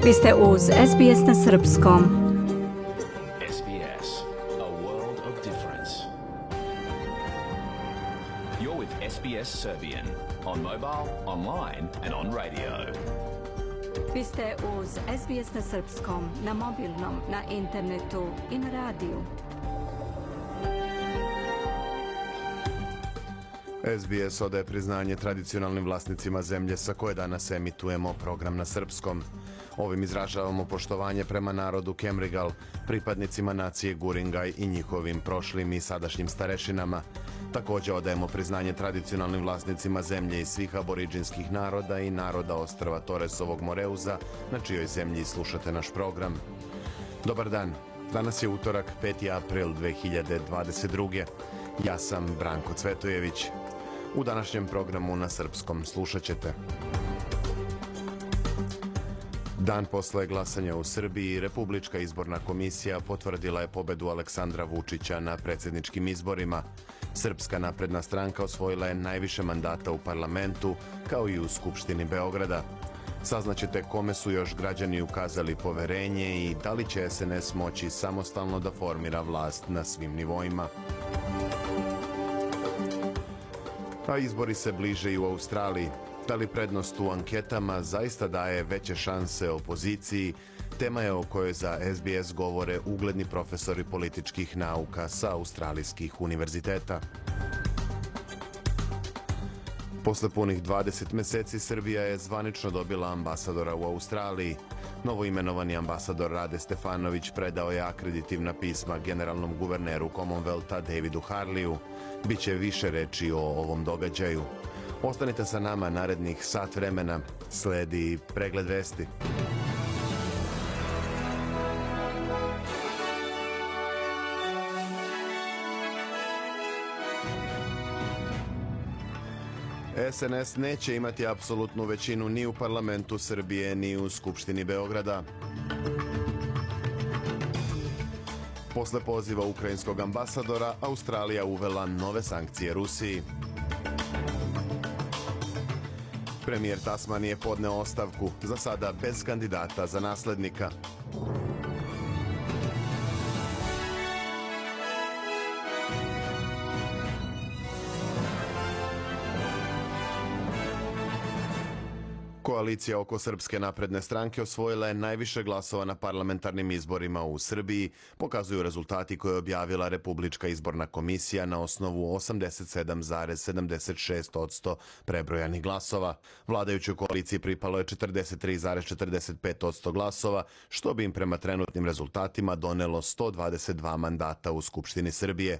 Vi ste uz SBS na srpskom. SBS, a world of difference. You're with SBS Serbian on mobile, online and on radio. Vi ste uz SBS na srpskom, na mobilnom, na internetu i na radiju. SBS odaje priznanje tradicionalnim vlasnicima zemlje sa koje danas emitujemo program na srpskom. Ovim izražavamo poštovanje prema narodu Kemrigal, pripadnicima nacije Guringaj i njihovim prošlim i sadašnjim starešinama. Također odajemo priznanje tradicionalnim vlasnicima zemlje i svih aboriđinskih naroda i naroda ostrva Toresovog Moreuza, na čijoj zemlji slušate naš program. Dobar dan, danas je utorak 5. april 2022. Ja sam Branko Cvetojević. U današnjem programu na srpskom slušat ćete: dan posle glasanja u Srbiji, Republička izborna komisija potvrdila je pobedu Aleksandra Vučića na predsjedničkim izborima. Srpska napredna stranka osvojila je najviše mandata u parlamentu, kao i u Skupštini Beograda. Saznaćete kome su još građani ukazali poverenje i da li će SNS moći samostalno da formira vlast na svim nivoima. A izbori se bliže i u Australiji. Da li prednost u anketama zaista daje veće šanse opoziciji? Tema je o kojoj za SBS govore ugledni profesori političkih nauka sa australijskih univerziteta. Posle punih 20 meseci Srbija je zvanično dobila ambasadora u Australiji. Novoimenovani ambasador Rade Stefanović predao je akreditivna pisma generalnom guverneru Commonwealtha Davidu Harleyu. Biće više reči o ovom događaju. Ostanite sa nama narednih sat vremena. Sledi pregled vesti. SNS neće imati apsolutnu većinu ni u parlamentu Srbije, ni u Skupštini Beograda. Posle poziva ukrajinskog ambasadora, Australija uvela nove sankcije Rusiji. Premijer Tasmanije je podneo ostavku, za sada bez kandidata za naslednika. Koalicija oko Srpske napredne stranke osvojila je najviše glasova na parlamentarnim izborima u Srbiji, pokazuju rezultati koje je objavila Republička izborna komisija na osnovu 87,76% prebrojanih glasova. Vladajućoj koaliciji pripalo je 43,45% glasova, što bi im prema trenutnim rezultatima donelo 122 mandata u Skupštini Srbije.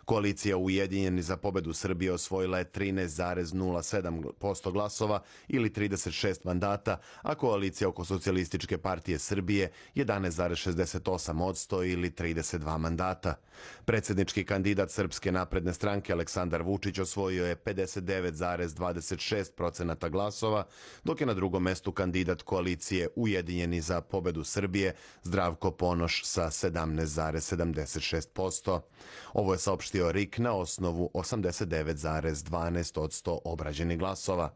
Koalicija Ujedinjeni za pobedu Srbije osvojila je 13,07% glasova ili 36 mandata, a koalicija oko Socijalističke partije Srbije 11,68% ili 32 mandata. Predsjednički kandidat Srpske napredne stranke Aleksandar Vučić osvojio je 59,26% glasova, dok je na drugom mestu kandidat koalicije Ujedinjeni za pobedu Srbije Zdravko Ponoš sa 17,76%. Ovo je saopštio RIK na osnovu 89,12% obrađenih glasova.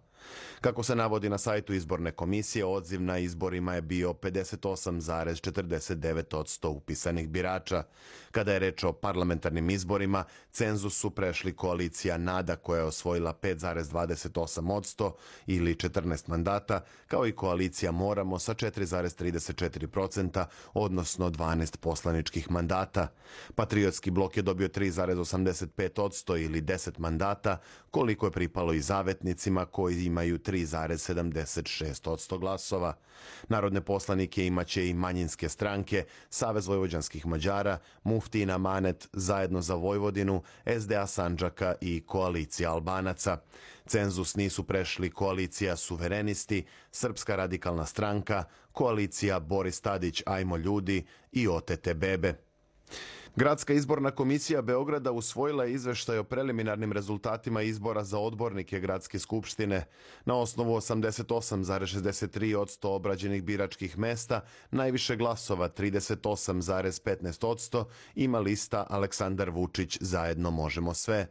Kako se navodi na sajtu izborne komisije, odziv na izborima je bio 58,49% upisanih birača. Kada je reč o parlamentarnim izborima, cenzus su prešli koalicija NADA koja je osvojila 5,28% ili 14 mandata, kao i koalicija Moramo sa 4,34%, odnosno 12 poslaničkih mandata. Patriotski blok je dobio 3,85% ili 10 mandata, koliko je pripalo i zavetnicima koji imaju 3,76% glasova. Narodne poslanike imaće i manjinske stranke, Savez vojvođanskih Mađara, Muftijin Amanet, Zajedno za Vojvodinu, SDA Sandžaka i Koalicija Albanaca. Cenzus nisu prešli koalicija Suverenisti, Srpska radikalna stranka, koalicija Boris Tadić Ajmo ljudi i OTT Bebe. Gradska izborna komisija Beograda usvojila je izveštaj o preliminarnim rezultatima izbora za odbornike Gradske skupštine. Na osnovu 88,63% obrađenih biračkih mesta, najviše glasova 38,15% ima lista Aleksandar Vučić Zajedno možemo sve.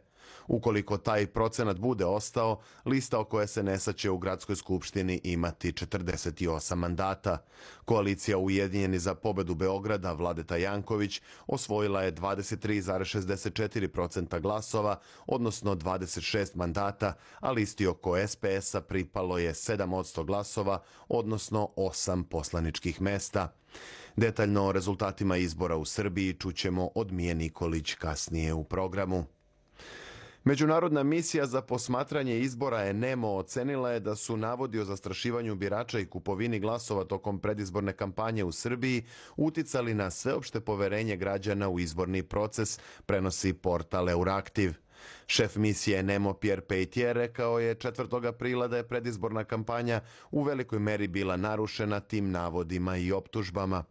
Ukoliko taj procenat bude ostao, lista oko SNS-a će u gradskoj skupštini imati 48 mandata. Koalicija Ujedinjeni za pobedu Beograda Vladeta Janković osvojila je 23,64% glasova, odnosno 26 mandata, a listi oko SPS-a pripalo je 7% glasova, odnosno 8 poslaničkih mesta. Detaljno o rezultatima izbora u Srbiji čućemo od Mije Nikolić kasnije u programu. Međunarodna misija za posmatranje izbora ENEMO ocenila je da su navodi o zastrašivanju birača i kupovini glasova tokom predizborne kampanje u Srbiji uticali na sveopšte poverenje građana u izborni proces, prenosi portal Euraktiv. Šef misije ENEMO Pierre Peitier rekao je 4. aprila da je predizborna kampanja u velikoj meri bila narušena tim navodima i optužbama.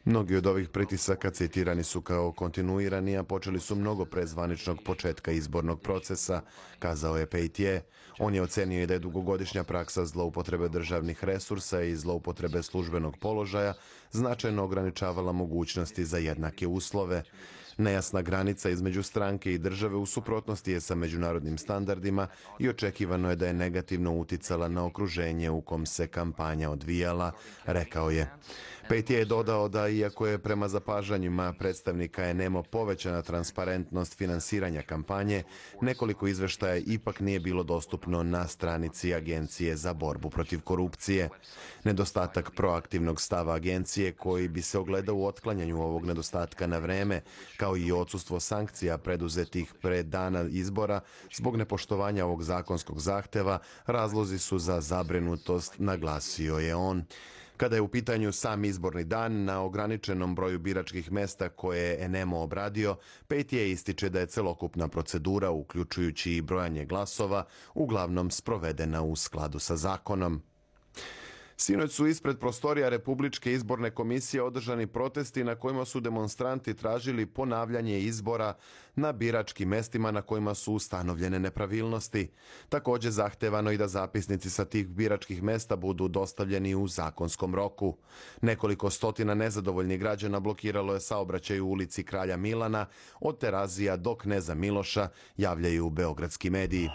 Mnogi od ovih pritisaka citirani su kao kontinuirani, a počeli su mnogo pre zvaničnog početka izbornog procesa, kazao je Peitier. On je ocenio i da je dugogodišnja praksa zloupotrebe državnih resursa i zloupotrebe službenog položaja značajno ograničavala mogućnosti za jednake uslove. Nejasna granica između stranke i države u suprotnosti je sa međunarodnim standardima i očekivano je da je negativno uticala na okruženje u kom se kampanja odvijala, rekao je. Peitier je dodao da iako je prema zapažanjima predstavnika ENEMO povećana transparentnost finansiranja kampanje, nekoliko izveštaja ipak nije bilo dostupno na stranici Agencije za borbu protiv korupcije. Nedostatak proaktivnog stava agencije koji bi se ogledao u otklanjanju ovog nedostatka na vreme, kao i odsustvo sankcija preduzetih pre dana izbora zbog nepoštovanja ovog zakonskog zahteva, razlozi su za zabrinutost, naglasio je on. Kada je u pitanju sam izborni dan, na ograničenom broju biračkih mesta koje je ENEMO obradio, Peitier ističe da je celokupna procedura, uključujući i brojanje glasova, uglavnom sprovedena u skladu sa zakonom. Sinoć su ispred prostorija Republičke izborne komisije održani protesti na kojima su demonstranti tražili ponavljanje izbora na biračkim mestima na kojima su ustanovljene nepravilnosti. Također zahtevano i da zapisnici sa tih biračkih mesta budu dostavljeni u zakonskom roku. Nekoliko stotina nezadovoljnih građana blokiralo je saobraćaj u ulici Kralja Milana od Terazija do Kneza Miloša, javljaju beogradski mediji.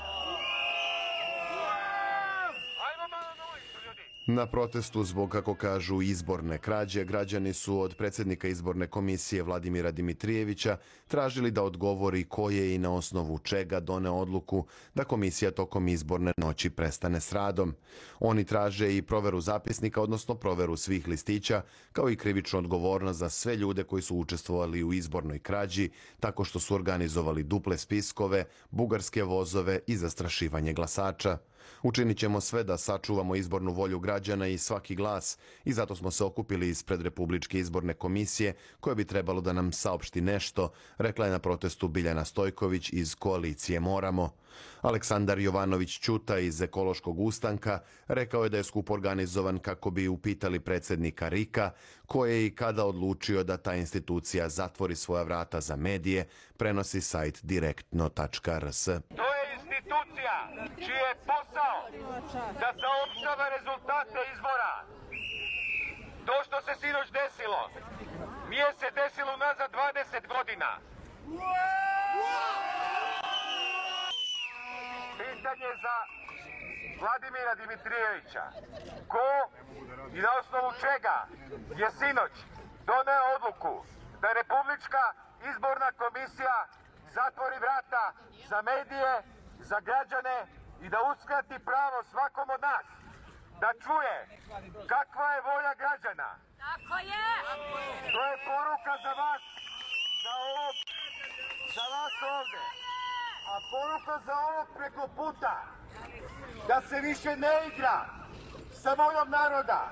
Na protestu zbog, kako kažu, izborne krađe, građani su od predsjednika izborne komisije Vladimira Dimitrijevića tražili da odgovori ko je i na osnovu čega doneo odluku da komisija tokom izborne noći prestane s radom. Oni traže i proveru zapisnika, odnosno proveru svih listića, kao i krivičnu odgovornost za sve ljude koji su učestvovali u izbornoj krađi, tako što su organizovali duple spiskove, bugarske vozove i zastrašivanje glasača. Učinit ćemo sve da sačuvamo izbornu volju građana i svaki glas i zato smo se okupili ispred Republičke izborne komisije koja bi trebalo da nam saopšti nešto, rekla je na protestu Biljana Stojković iz koalicije Moramo. Aleksandar Jovanović Ćuta iz Ekološkog ustanka rekao je da je skup organizovan kako bi upitali predsjednika RIK-a ko je i kada odlučio da ta institucija zatvori svoja vrata za medije, prenosi sajt direktno.rs. Institucija čiji je posao da saopštava rezultate izbora. To što se sinoć desilo, nije se desilo unazad 20 godina. Pitanje za Vladimira Dimitrijevića. Ko i na osnovu čega je sinoć doneo odluku da Republička izborna komisija zatvori vrata za medije, za građane i da uskrati pravo svakom od nas da čuje kakva je volja građana. Tako je! To je poruka za vas, za vas ovde. A poruka za ovog preko puta, da se više ne igra sa voljom naroda.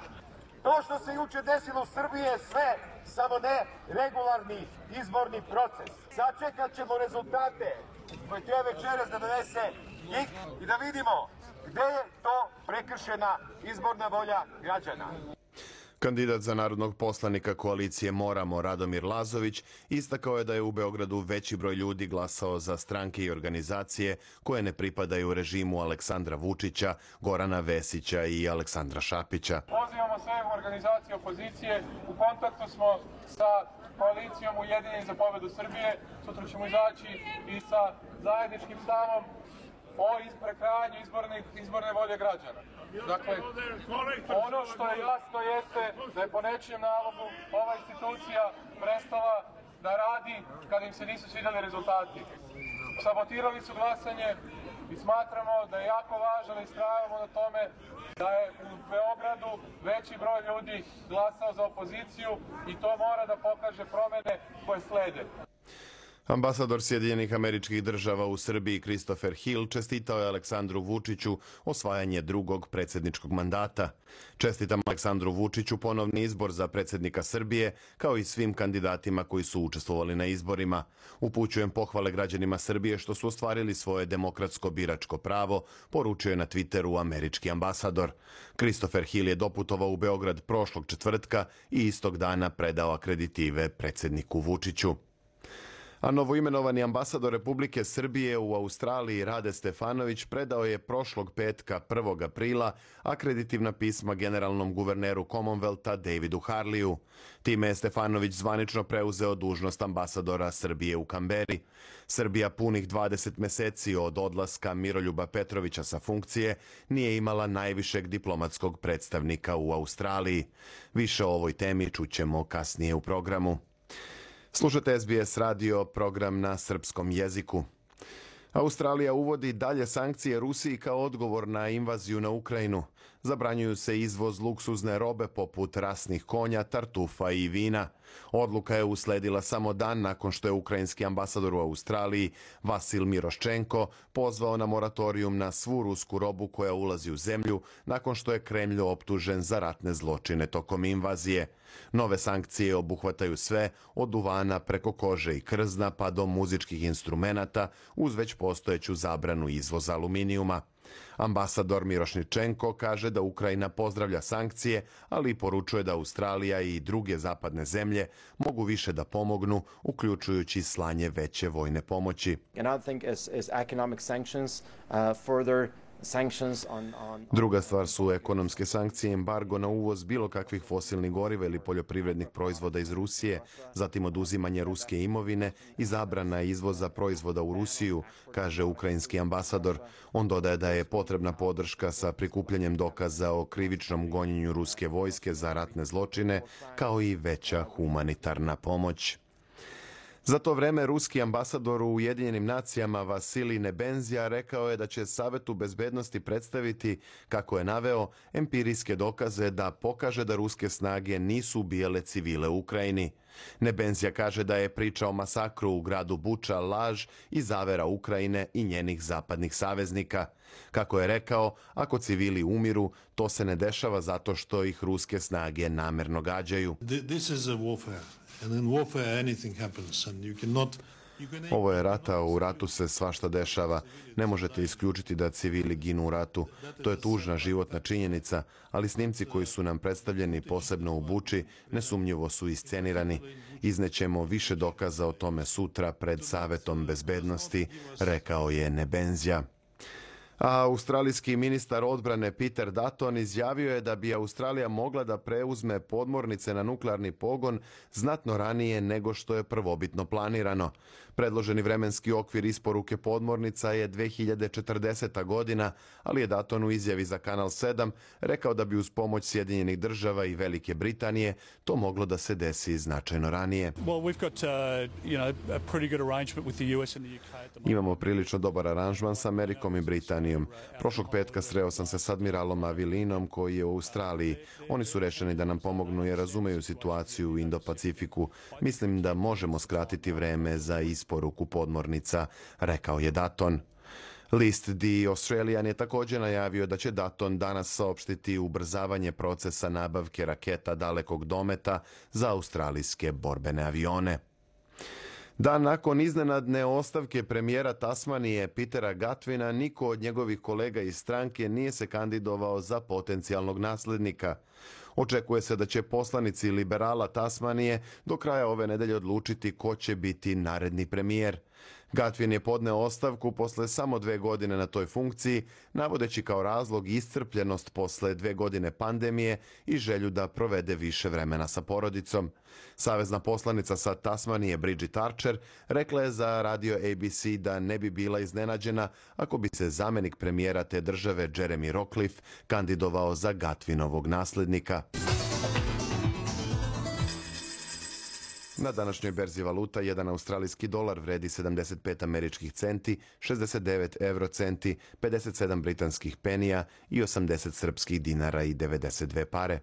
To što se juče desilo u Srbiji je sve, samo ne regularni izborni proces. Sačekat ćemo rezultate koje treba večeras da donese njih i da vidimo gde je to prekršena izborna volja građana. Kandidat za narodnog poslanika koalicije Moramo Radomir Lazović istakao je da je u Beogradu veći broj ljudi glasao za stranke i organizacije koje ne pripadaju režimu Aleksandra Vučića, Gorana Vesića i Aleksandra Šapića. Pozivamo sve organizacije opozicije, u kontaktu smo sa koalicijom Ujedinjeni za pobedu Srbije. Sutra ćemo izaći i sa zajedničkim stavom o prekrajanju izborne volje građana. Dakle, ono što je jasno jeste da je po nečijem nalogu ova institucija prestala da radi kada im se nisu svidjeli rezultati. Sabotirali su glasanje i smatramo da je jako važno da istrajavamo na tome da je u Beogradu veći broj ljudi glasao za opoziciju i to mora da pokaže promene koje slede. Ambasador Sjedinjenih Američkih Država u Srbiji Christopher Hill čestitao je Aleksandru Vučiću osvajanje drugog predsjedničkog mandata. Čestitam Aleksandru Vučiću ponovni izbor za predsjednika Srbije, kao i svim kandidatima koji su učestvovali na izborima. Upućujem pohvale građanima Srbije što su ostvarili svoje demokratsko biračko pravo, poručio je na Twitteru američki ambasador. Christopher Hill je doputovao u Beograd prošlog četvrtka i istog dana predao akreditive predsjedniku Vučiću. A novoimenovani ambasador Republike Srbije u Australiji Rade Stefanović predao je prošlog petka 1. aprila akreditivna pisma generalnom guverneru Commonwealtha Davidu Harleyu. Time je Stefanović zvanično preuzeo dužnost ambasadora Srbije u Kamberi. Srbija punih 20 meseci od odlaska Miroljuba Petrovića sa funkcije nije imala najvišeg diplomatskog predstavnika u Australiji. Više o ovoj temi čućemo kasnije u programu. Slušate SBS radio, program na srpskom jeziku. Australija uvodi dalje sankcije Rusiji kao odgovor na invaziju na Ukrajinu. Zabranjuju se izvoz luksuzne robe poput rasnih konja, tartufa i vina. Odluka je usledila samo dan nakon što je ukrajinski ambasador u Australiji Vasil Miroščenko pozvao na moratorijum na svu rusku robu koja ulazi u zemlju nakon što je Kremlj optužen za ratne zločine tokom invazije. Nove sankcije obuhvataju sve od duvana preko kože i krzna pa do muzičkih instrumenata uz već postojeću zabranu izvoza aluminijuma. Ambasador Mirošničenko kaže da Ukrajina pozdravlja sankcije, ali i poručuje da Australija i druge zapadne zemlje mogu više da pomognu, uključujući slanje veće vojne pomoći. Druga stvar su ekonomske sankcije, embargo na uvoz bilo kakvih fosilnih goriva ili poljoprivrednih proizvoda iz Rusije, zatim oduzimanje ruske imovine i zabrana izvoza proizvoda u Rusiju, kaže ukrajinski ambasador. On dodaje da je potrebna podrška sa prikupljanjem dokaza o krivičnom gonjenju ruske vojske za ratne zločine, kao i veća humanitarna pomoć. Za to vreme ruski ambasador u Ujedinjenim nacijama Vasilij Nebenzija rekao je da će Savetu bezbednosti predstaviti, kako je naveo, empirijske dokaze da pokaže da ruske snage nisu ubijale civile u Ukrajini. Nebenzija kaže da je priča o masakru u gradu Buča laž i zavera Ukrajine i njenih zapadnih saveznika. Kako je rekao, ako civili umiru, to se ne dešava zato što ih ruske snage namerno gađaju. Ovo je rat, a u ratu se svašta dešava. Ne možete isključiti da civili ginu u ratu. To je tužna životna činjenica, ali snimci koji su nam predstavljeni posebno u Buči nesumnjivo su iscenirani. Iznećemo više dokaza o tome sutra pred Savetom bezbednosti, rekao je Nebenzija. A australijski ministar odbrane Peter Dutton izjavio je da bi Australija mogla da preuzme podmornice na nuklearni pogon znatno ranije nego što je prvobitno planirano. Predloženi vremenski okvir isporuke podmornica je 2040. godina, ali je Dutton u izjavi za Kanal 7 rekao da bi uz pomoć Sjedinjenih Država i Velike Britanije to moglo da se desi značajno ranije. Imamo prilično dobar aranžman sa Amerikom i Britanijom. Prošlog petka sreo sam se s admiralom Avilinom koji je u Australiji. Oni su rešeni da nam pomognu jer razumeju situaciju u Indo-Pacifiku. Mislim da možemo skratiti vreme za isporuku podmornica, rekao je Dutton. List The Australian je također najavio da će Dutton danas saopštiti ubrzavanje procesa nabavke raketa dalekog dometa za australijske borbene avione. Dan nakon iznenadne ostavke premijera Tasmanije Petera Gatvina, niko od njegovih kolega iz stranke nije se kandidovao za potencijalnog naslednika. Očekuje se da će poslanici liberala Tasmanije do kraja ove nedelje odlučiti ko će biti naredni premijer. Gatvin je podneo ostavku posle samo 2 godine na toj funkciji, navodeći kao razlog iscrpljenost posle 2 godine pandemije i želju da provede više vremena sa porodicom. Savezna poslanica sa Tasmanije Bridget Archer rekla je za radio ABC da ne bi bila iznenađena ako bi se zamenik premijera te države Jeremy Rockcliffe kandidovao za Gatvinovog naslednika. Na današnjoj berzi valuta jedan australijski dolar vredi 75 američkih centi, 69 eurocenti, 57 britanskih penija i 80 srpskih dinara i 92 pare.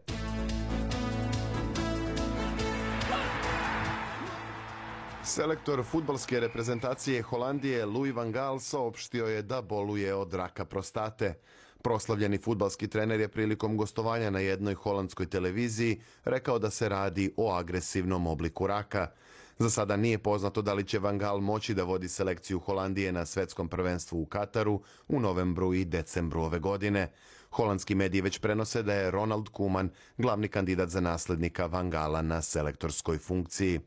Selektor fudbalske reprezentacije Holandije Louis van Gaal saopštio je da boluje od raka prostate. Proslavljeni fudbalski trener je prilikom gostovanja na jednoj holandskoj televiziji rekao da se radi o agresivnom obliku raka. Za sada nije poznato da li će Van Gaal moći da vodi selekciju Holandije na svetskom prvenstvu u Kataru u novembru i decembru ove godine. Holandski mediji već prenose da je Ronald Koeman glavni kandidat za naslednika Van Gaala na selektorskoj funkciji.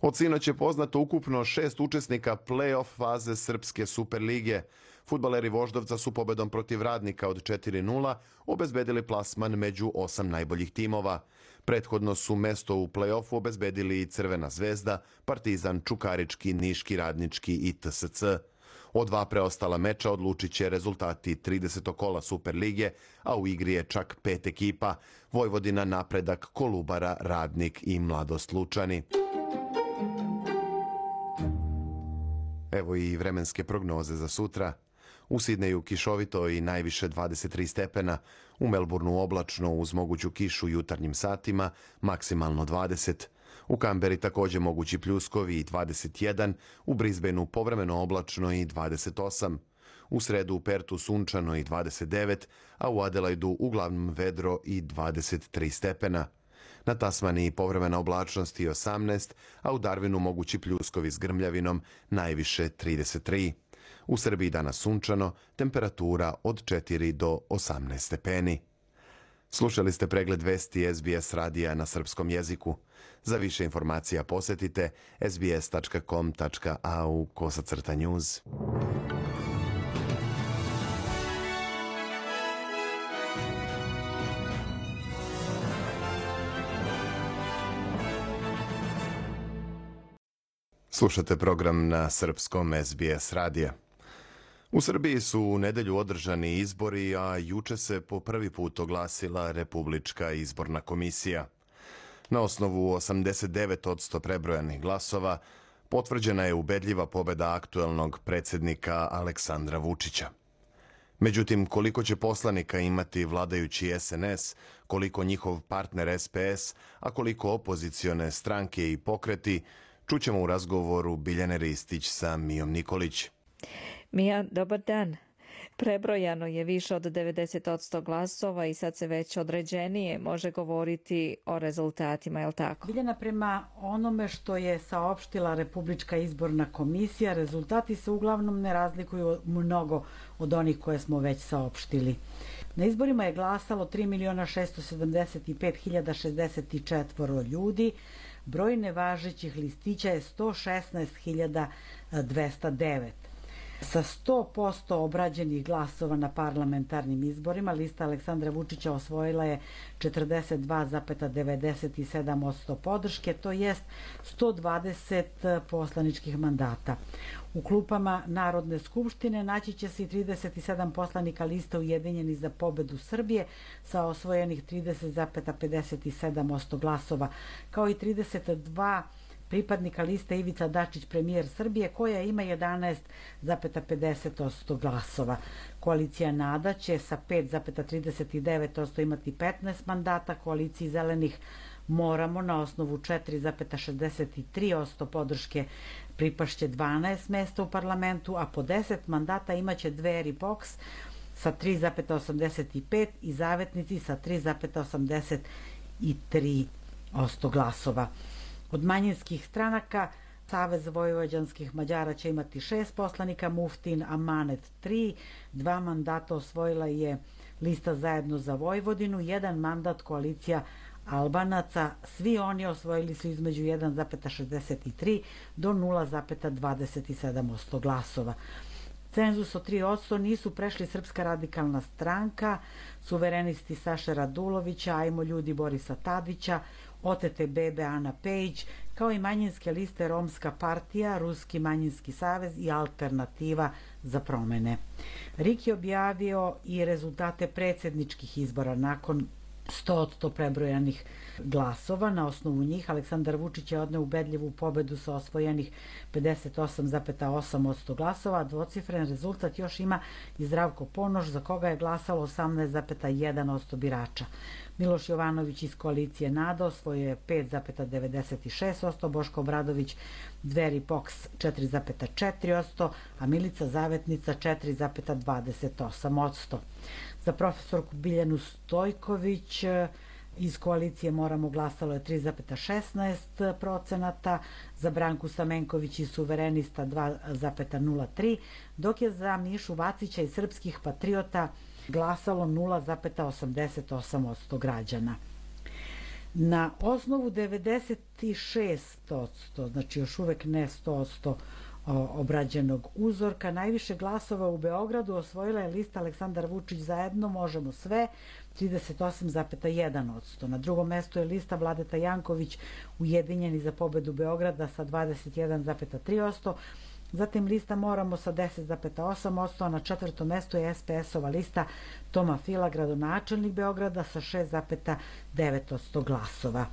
Od sinoć je poznato ukupno 6 učesnika play-off faze Srpske Superlige. Fudbaleri Voždovca su pobedom protiv Radnika od 4:0 obezbedili plasman među 8 najboljih timova. Prethodno su mesto u play-offu obezbedili i Crvena zvezda, Partizan, Čukarički, Niški, Radnički i TSC. Od 2 preostala meča odlučit će rezultati 30. kola Superlige, a u igri je čak 5 ekipa: Vojvodina, Napredak, Kolubara, Radnik i Mladost Lučani. Evo i vremenske prognoze za sutra. U Sidneju kišovito i najviše 23 stepena, u Melbourneu oblačno uz moguću kišu jutarnjim satima, maksimalno 20. U Kamberi također mogući pljuskovi i 21, u Brisbaneu povremeno oblačno i 28. U sredu u Pertu sunčano i 29, a u Adelaidu uglavnom vedro i 23 stepena. Na Tasmaniji povremena oblačnost i 18, a u Darwinu mogući pljuskovi s grmljavinom, najviše 33. U Srbiji danas sunčano, temperatura od 4 do 18 stepeni. Slušali ste pregled vesti SBS radija na srpskom jeziku. Za više informacija posjetite sbs.com.au/news. Slušate program na srpskom SBS radija. U Srbiji su u nedelju održani izbori, a juče se po prvi put oglasila Republička izborna komisija. Na osnovu 89% prebrojanih glasova potvrđena je ubedljiva pobeda aktuelnog predsjednika Aleksandra Vučića. Međutim, koliko će poslanika imati vladajući SNS, koliko njihov partner SPS, a koliko opozicione stranke i pokreti, čućemo u razgovoru Biljane Ristić sa Mijom Nikolić. Mija, dobar dan. Prebrojano je više od 90% glasova i sad se već određenije može govoriti o rezultatima, je li tako? Biljana, prema onome što je saopštila Republička izborna komisija, rezultati se uglavnom ne razlikuju mnogo od onih koje smo već saopštili. Na izborima je glasalo 3.675.064 ljudi, broj nevažećih listića je 116.209. Sa 100% obrađenih glasova na parlamentarnim izborima, lista Aleksandra Vučića osvojila je 42,97% podrške, to jest 120 poslaničkih mandata. U klupama Narodne skupštine naći će se i 37 poslanika liste Ujedinjeni za pobedu Srbije sa osvojenih 30,57% glasova, kao i 32 pripadnika liste Ivica Dačić, premijer Srbije, koja ima 11,50% glasova. Koalicija NADA će sa 5,39% imati 15 mandata, koaliciji Zelenih Moramo na osnovu 4,63% podrške pripašće 12 mesta u parlamentu, a po 10 mandata imaće Dveri Boks sa 3,85 i Zavetnici sa 3,83% glasova. Od manjinskih stranaka Savez vojvođanskih Mađara će imati 6 poslanika, Muftin Amanet 3, 2 mandata osvojila je lista Zajedno za Vojvodinu, 1 mandat koalicija Albanaca, svi oni osvojili su između 1,63 do 0,27% glasova. Cenzus od 3% nisu prešli Srpska radikalna stranka, suverenisti Saše Radulovića, Ajmo ljudi Borisa Tadića, Otete bebe Ana Pejić, kao i manjinske liste Romska partija, Ruski manjinski savez i Alternativa za promene. RIK je objavio i rezultate predsjedničkih izbora nakon 100% prebrojanih glasova. Na osnovu njih Aleksandar Vučić je odneo ubedljivu pobedu sa osvojenih 58,8% glasova, a dvocifren rezultat još ima i Zdravko Ponoš, za koga je glasalo 18,1% birača. Miloš Jovanović iz koalicije NADA osvojio je 5,96%, Boško Obradović Dveri POKS 4,4%, a Milica Zavetnica 4,28%. Za profesorku Biljanu Stojković iz koalicije Moramo glasalo je 3,16%, za Branku Stamenković iz Suverenista 2,03%, dok je za Mišu Vacića iz Srpskih patriota glasalo 0,88% građana. Na osnovu 96%, znači još uvek ne 100% obrađenog uzorka, najviše glasova u Beogradu osvojila je lista Aleksandar Vučić zajedno, Možemo sve, 38,1%. Na drugom mestu je lista Vladeta Janković Ujedinjeni za pobedu Beograda sa 21,3%, zatim lista Moramo sa 10,8%, a na četvrtom mestu je SPS-ova lista Toma Fila, gradonačelnik Beograda, sa 6,9% glasova.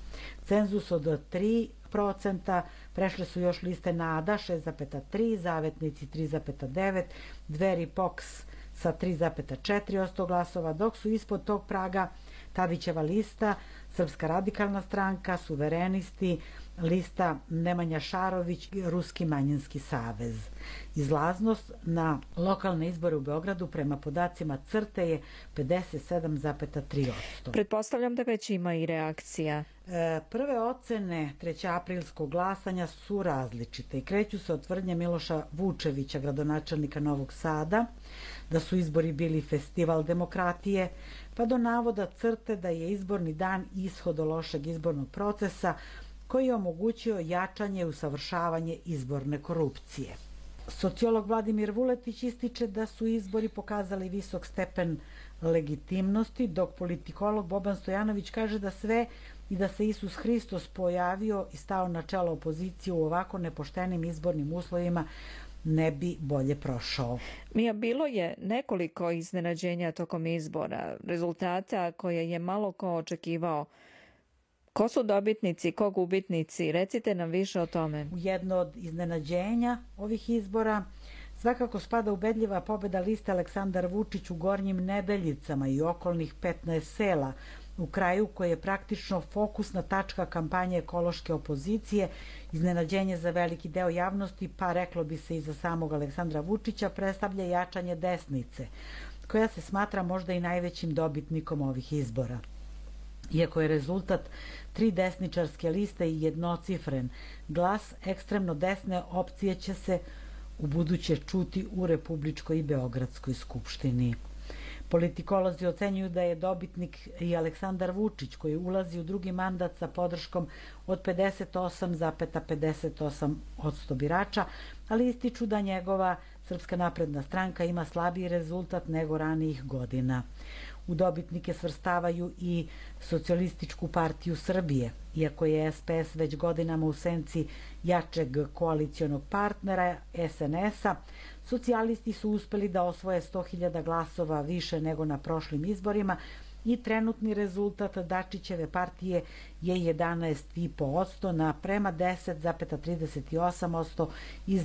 Cenzus od 3% prešle su još liste NADA 6,3%, Zavetnici 3,9%, Dveri POKS sa 3,4% glasova, dok su ispod tog praga Tadićeva lista, Srpska radikalna stranka, Suverenisti, lista Nemanja Šarović i Ruski manjinski savez. Izlaznost na lokalne izbore u Beogradu prema podacima CRTE je 57,3%. Pretpostavljam da već ima i reakcija. Prve ocene 3. aprilskog glasanja su različite i kreću se od tvrdnje Miloša Vučevića, gradonačelnika Novog Sada, da su izbori bili festival demokratije, pa do navoda CRTE da je izborni dan ishod lošeg izbornog procesa koji je omogućio jačanje i usavršavanje izborne korupcije. Sociolog Vladimir Vuletić ističe da su izbori pokazali visok stepen legitimnosti, dok politikolog Boban Stojanović kaže da sve i da se Isus Hristos pojavio i stao na čelo opozicije u ovako nepoštenim izbornim uslovima ne bi bolje prošao. Mija, bilo je nekoliko iznenađenja tokom izbora, rezultata koje je malo ko očekivao. Ko su dobitnici, ko gubitnici? Recite nam više o tome. U jedno od iznenađenja ovih izbora svakako spada ubedljiva pobeda liste Aleksandar Vučić u Gornjim Nedeljicama i okolnih 15 sela, u kraju koji je praktično fokusna tačka kampanje ekološke opozicije. Iznenađenje za veliki deo javnosti, pa reklo bi se i za samog Aleksandra Vučića, predstavlja jačanje desnice, koja se smatra možda i najvećim dobitnikom ovih izbora. Iako je rezultat 3 desničarske liste i jednocifren, glas ekstremno desne opcije će se u buduće čuti u Republičkoj i Beogradskoj skupštini. Politikolozi ocenjuju da je dobitnik i Aleksandar Vučić, koji ulazi u drugi mandat sa podrškom od 58,58% birača, ali ističu da njegova Srpska napredna stranka ima slabiji rezultat nego ranijih godina. U dobitnike svrstavaju i Socijalističku partiju Srbije, iako je SPS već godinama u senci jačeg koalicionog partnera SNS-a, socijalisti su uspeli da osvoje 100.000 glasova više nego na prošlim izborima i trenutni rezultat Dačićeve partije je 11,5% na prema 10,38% iz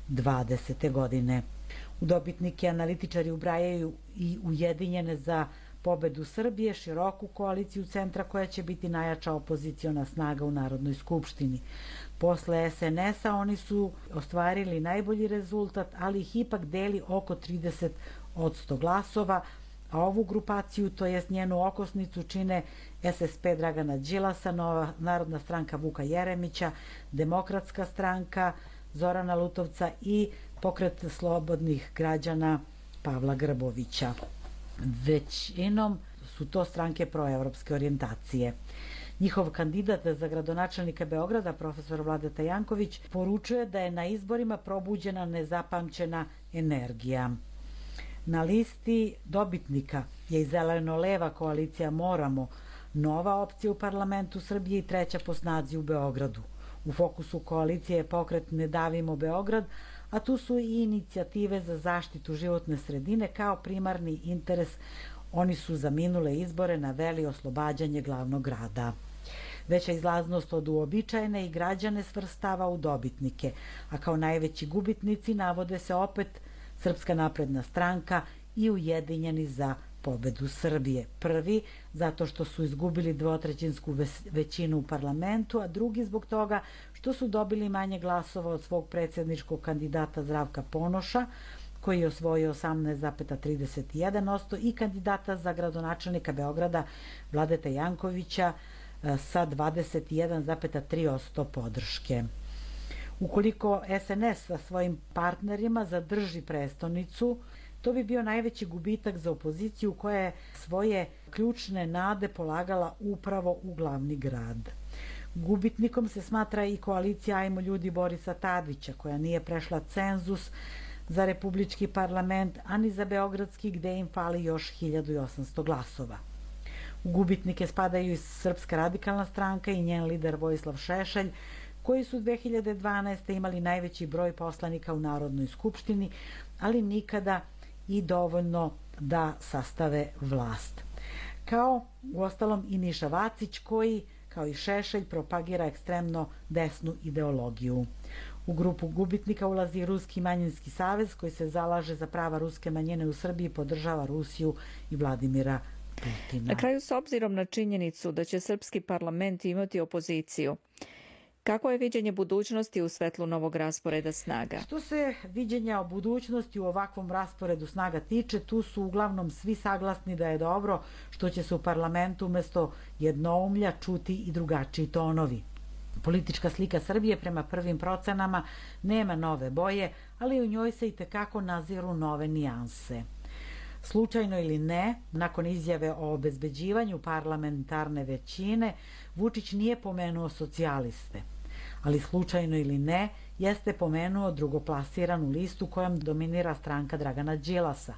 2020. godine. U dobitnike analitičari ubrajaju i Ujedinjene za pobedu Srbije, široku koaliciju centra koja će biti najjača opoziciona snaga u Narodnoj skupštini. Posle SNS-a oni su ostvarili najbolji rezultat, ali ih ipak deli oko 30% glasova, a ovu grupaciju, to jest njenu okosnicu, čine SSP Dragana Đilasa, Nova narodna stranka Vuka Jeremića, Demokratska stranka Zorana Lutovca i Pokret slobodnih građana Pavla Grbovića. Većinom su to stranke proevropske orijentacije. Njihov kandidat za gradonačelnika Beograda, profesor Vladeta Janković, poručuje da je na izborima probuđena nezapamćena energija. Na listi dobitnika je i zeleno-leva koalicija Moramo, nova opcija u parlamentu Srbije i treća po snazi u Beogradu. U fokusu koalicije je pokret Ne davimo Beograd, a tu su i inicijative za zaštitu životne sredine kao primarni interes. Oni su za minule izbore naveli oslobađanje glavnog grada. Veća izlaznost od uobičajene i građane svrstava u dobitnike, a kao najveći gubitnici navode se opet Srpska napredna stranka i Ujedinjeni za pobedu Srbije. Prvi zato što su izgubili dvotrećinsku većinu u parlamentu, a drugi zbog toga što su dobili manje glasova od svog predsjedničkog kandidata Zdravka Ponoša, koji je osvojio 18,31% i kandidata za gradonačelnika Beograda Vladeta Jankovića sa 21,3% podrške. Ukoliko SNS sa svojim partnerima zadrži prestonicu, to bi bio najveći gubitak za opoziciju koja je svoje ključne nade polagala upravo u glavni grad. Gubitnikom se smatra i koalicija Ajmo ljudi Borisa Tadića, koja nije prešla cenzus za republički parlament, a ni za beogradski, gde im fali još 1800 glasova. U gubitnike spadaju i Srpska radikalna stranka i njen lider Vojislav Šešelj, koji su 2012. imali najveći broj poslanika u Narodnoj skupštini, ali nikada i dovoljno da sastave vlast. Kao uostalom i Miša Vacić, koji, kao i Šešelj, propagira ekstremno desnu ideologiju. U grupu gubitnika ulazi Ruski manjinski savez, koji se zalaže za prava ruske manjine u Srbiji i podržava Rusiju i Vladimira Putina. Na kraju, s obzirom na činjenicu da će srpski parlament imati opoziciju, kako je viđenje budućnosti u svetlu novog rasporeda snaga? Što se viđenja o budućnosti u ovakvom rasporedu snaga tiče, tu su uglavnom svi saglasni da je dobro što će se u parlamentu umesto jednoumlja čuti i drugačiji tonovi. Politička slika Srbije prema prvim procenama nema nove boje, ali u njoj se i tekako naziru nove nijanse. Slučajno ili ne, nakon izjave o obezbeđivanju parlamentarne većine, Vučić nije pomenuo socijaliste. Ali slučajno ili ne, jeste pomenuo drugoplasiranu listu kojom dominira stranka Dragana Đilasa,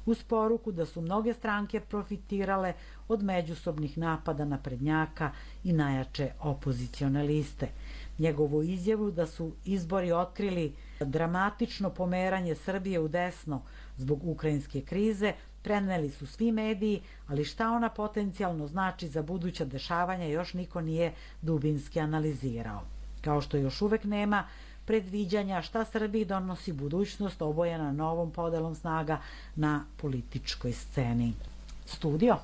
uz poruku da su mnoge stranke profitirale od međusobnih napada naprednjaka i najjače opozicione liste. Njegovu izjavu da su izbori otkrili dramatično pomeranje Srbije u desno zbog ukrajinske krize preneli su svi mediji, ali šta ona potencijalno znači za buduća dešavanja još niko nije dubinski analizirao. Kao što još uvek nema predviđanja šta Srbiji donosi budućnost obojena novom podelom snaga na političkoj sceni. Studio.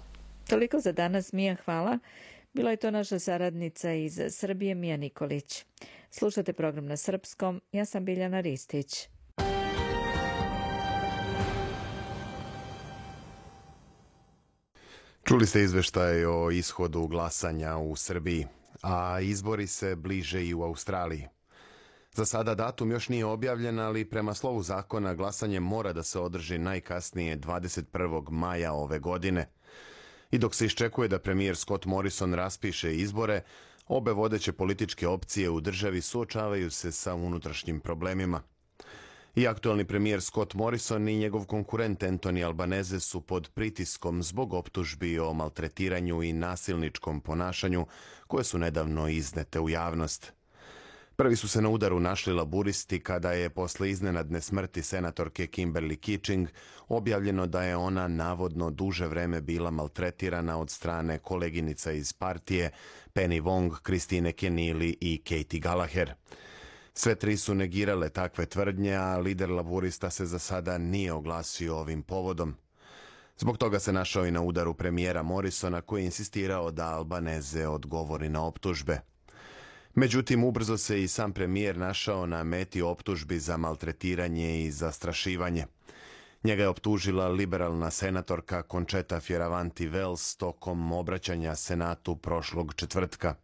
Toliko za danas, Mija, hvala. Bila je to naša saradnica iz Srbije, Mija Nikolić. Slušate program na srpskom, ja sam Biljana Ristić. Čuli ste izveštaj o ishodu glasanja u Srbiji, a izbori se bliže i u Australiji. Za sada datum još nije objavljen, ali prema slovu zakona glasanje mora da se održi najkasnije 21. maja ove godine. I dok se iščekuje da premijer Scott Morrison raspiše izbore, obe vodeće političke opcije u državi suočavaju se sa unutrašnjim problemima. I aktualni premijer Scott Morrison i njegov konkurent Anthony Albanese su pod pritiskom zbog optužbi o maltretiranju i nasilničkom ponašanju koje su nedavno iznete u javnost. Prvi su se na udaru našli laburisti kada je posle iznenadne smrti senatorke Kimberly Kitching objavljeno da je ona navodno duže vreme bila maltretirana od strane koleginica iz partije Penny Wong, Christine Keneally i Katie Gallagher. Sve tri su negirale takve tvrdnje, a lider laburista se za sada nije oglasio ovim povodom. Zbog toga se našao i na udaru premijera Morrisona, koji je insistirao da Albanese odgovori na optužbe. Međutim, ubrzo se i sam premijer našao na meti optužbi za maltretiranje i zastrašivanje. Njega je optužila liberalna senatorka Concheta Fierravanti Wells tokom obraćanja Senatu prošlog četvrtka.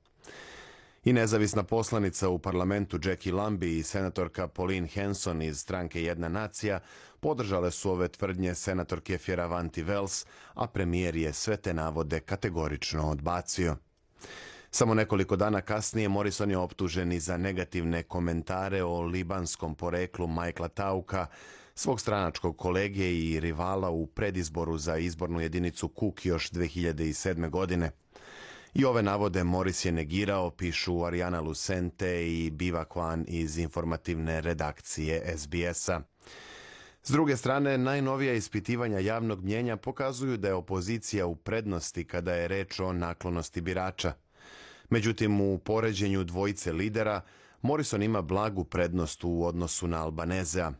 I nezavisna poslanica u parlamentu Jackie Lambie i senatorka Pauline Hanson iz stranke Jedna nacija podržale su ove tvrdnje senatorke Fierravanti Wells, a premijer je sve te navode kategorično odbacio. Samo nekoliko dana kasnije Morrison je optužen i za negativne komentare o libanskom poreklu Michaela Tauka, svog stranačkog kolege i rivala u predizboru za izbornu jedinicu Cook još 2007. godine. I ove navode Morris je negirao, pišu Ariana Lucente i Biva Kwan iz informativne redakcije SBS-a. S druge strane, najnovija ispitivanja javnog mnjenja pokazuju da je opozicija u prednosti kada je reč o naklonosti birača. Međutim, u poređenju dvojice lidera, Morrison ima blagu prednost u odnosu na Albanezea.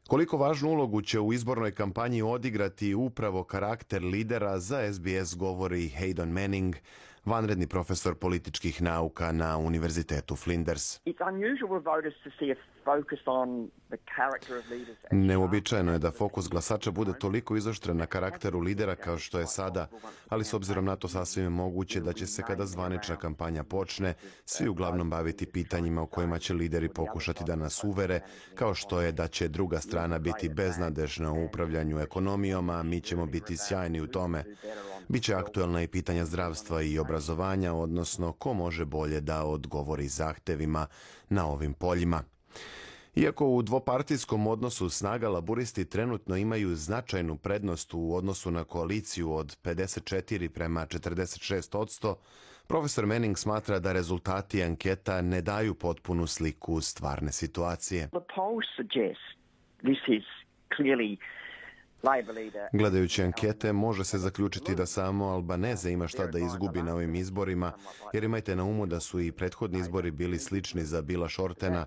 Koliko važnu ulogu će u izbornoj kampanji odigrati upravo karakter lidera, za SBS govori Hayden Manning, vanredni profesor političkih nauka na Univerzitetu Flinders. Neuobičajeno je da fokus glasača bude toliko izoštren na karakteru lidera kao što je sada, ali s obzirom na to sasvim je moguće da će se kada zvanična kampanja počne, svi uglavnom baviti pitanjima o kojima će lideri pokušati da nas uvere, kao što je da će druga strana biti beznadežna u upravljanju ekonomijom, a mi ćemo biti sjajni u tome. Biće aktuelna i pitanja zdravstva i obrazovanja, odnosno ko može bolje da odgovori zahtevima na ovim poljima. Iako u dvopartijskom odnosu snaga laburisti trenutno imaju značajnu prednost u odnosu na koaliciju od 54 prema 46%, profesor Manning smatra da rezultati anketa ne daju potpunu sliku stvarne situacije. Gledajući ankete, može se zaključiti da samo Albaneze ima šta da izgubi na ovim izborima, jer imajte na umu da su i prethodni izbori bili slični za Billa Shortena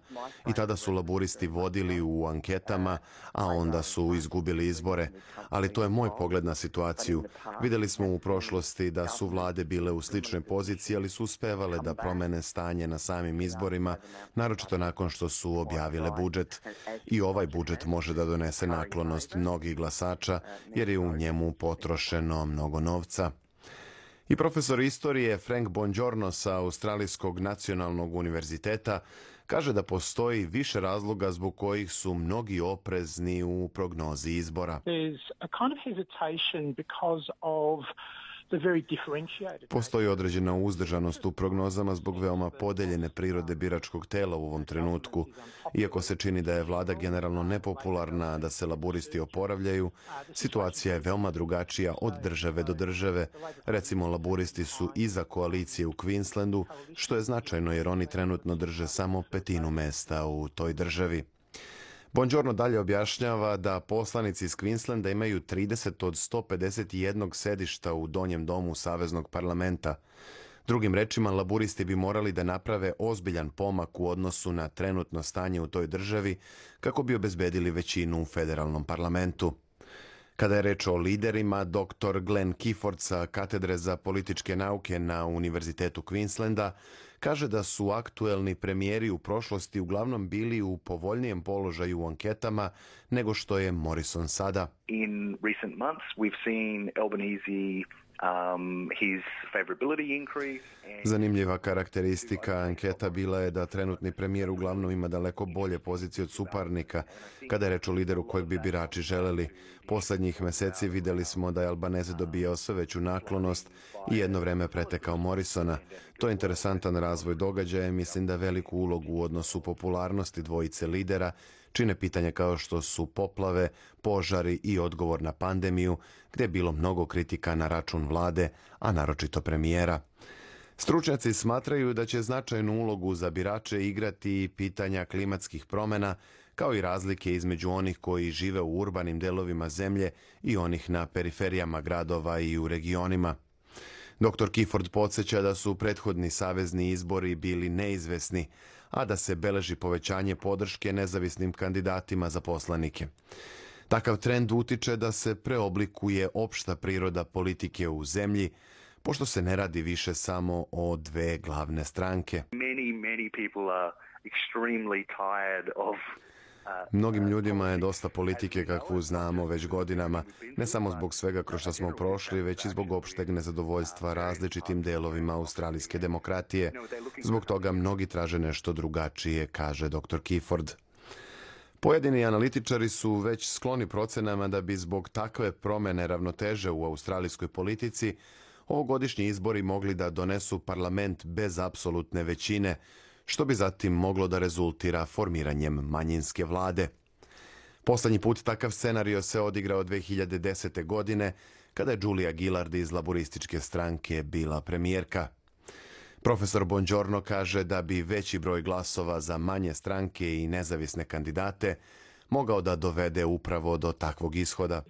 i tada su laburisti vodili u anketama, a onda su izgubili izbore. Ali to je moj pogled na situaciju. Vidjeli smo u prošlosti da su vlade bile u sličnoj poziciji, ali su uspevale da promene stanje na samim izborima, naročito nakon što su objavile budžet. I ovaj budžet može da donese naklonost mnogih glasača, jer je u njemu potrošeno mnogo novca. I profesor istorije Frank Bongiorno sa Australijskog nacionalnog univerziteta kaže da postoji više razloga zbog kojih su mnogi oprezni u prognozi izbora. Postoji određena uzdržanost u prognozama zbog veoma podeljene prirode biračkog tela u ovom trenutku. Iako se čini da je vlada generalno nepopularna, da se laburisti oporavljaju, situacija je veoma drugačija od države do države. Recimo, laburisti su iza koalicije u Queenslandu, što je značajno jer oni trenutno drže samo 1/5 mesta u toj državi. Bongiorno dalje objašnjava da poslanici iz Queenslanda imaju 30 od 151 sedišta u donjem domu Saveznog parlamenta. Drugim rečima, laburisti bi morali da naprave ozbiljan pomak u odnosu na trenutno stanje u toj državi kako bi obezbedili većinu u federalnom parlamentu. Kada je reč o liderima, dr. Glenn Gifford sa katedre za političke nauke na Univerzitetu Queenslanda kaže da su aktuelni premijeri u prošlosti uglavnom bili u povoljnijem položaju u anketama nego što je Morrison sada. In recent months we've seen Albanese his favorability increase. Zanimljiva karakteristika anketa bila je da trenutni premijer uglavnom ima daleko bolje pozicije od suparnika kada je reč o lideru kojeg bi birači želeli. Poslednjih meseci videli smo da je Albanese dobijao sve veću naklonost i jedno vreme pretekao Morrisona. To je interesantan razvoj događaja i mislim da veliku ulogu u odnosu popularnosti dvojice lidera čine pitanja kao što su poplave, požari i odgovor na pandemiju, gdje je bilo mnogo kritika na račun vlade, a naročito premijera. Stručnjaci smatraju da će značajnu ulogu za birače igrati pitanja klimatskih promjena, kao i razlike između onih koji žive u urbanim delovima zemlje i onih na periferijama gradova i u regionima. Dr. Gifford podsjeća da su prethodni savezni izbori bili neizvesni, a da se beleži povećanje podrške nezavisnim kandidatima za poslanike. Takav trend utiče da se preoblikuje opšta priroda politike u zemlji, pošto se ne radi više samo o dve glavne stranke. Mnogim ljudima je dosta politike kakvu znamo već godinama, ne samo zbog svega kroz što smo prošli, već i zbog opšteg nezadovoljstva različitim delovima australijske demokratije. Zbog toga mnogi traže nešto drugačije, kaže dr. Kifford. Pojedini analitičari su već skloni procenama da bi zbog takve promene ravnoteže u australijskoj politici ovogodišnji izbori mogli da donesu parlament bez apsolutne većine, što bi zatim moglo da rezultira formiranjem manjinske vlade. Poslednji put takav scenario se odigrao 2010. godine, kada je Julia Gillard iz laborističke stranke bila premijerka. Profesor Bongiorno kaže da bi veći broj glasova za manje stranke i nezavisne kandidate mogao da dovede upravo do takvog ishoda.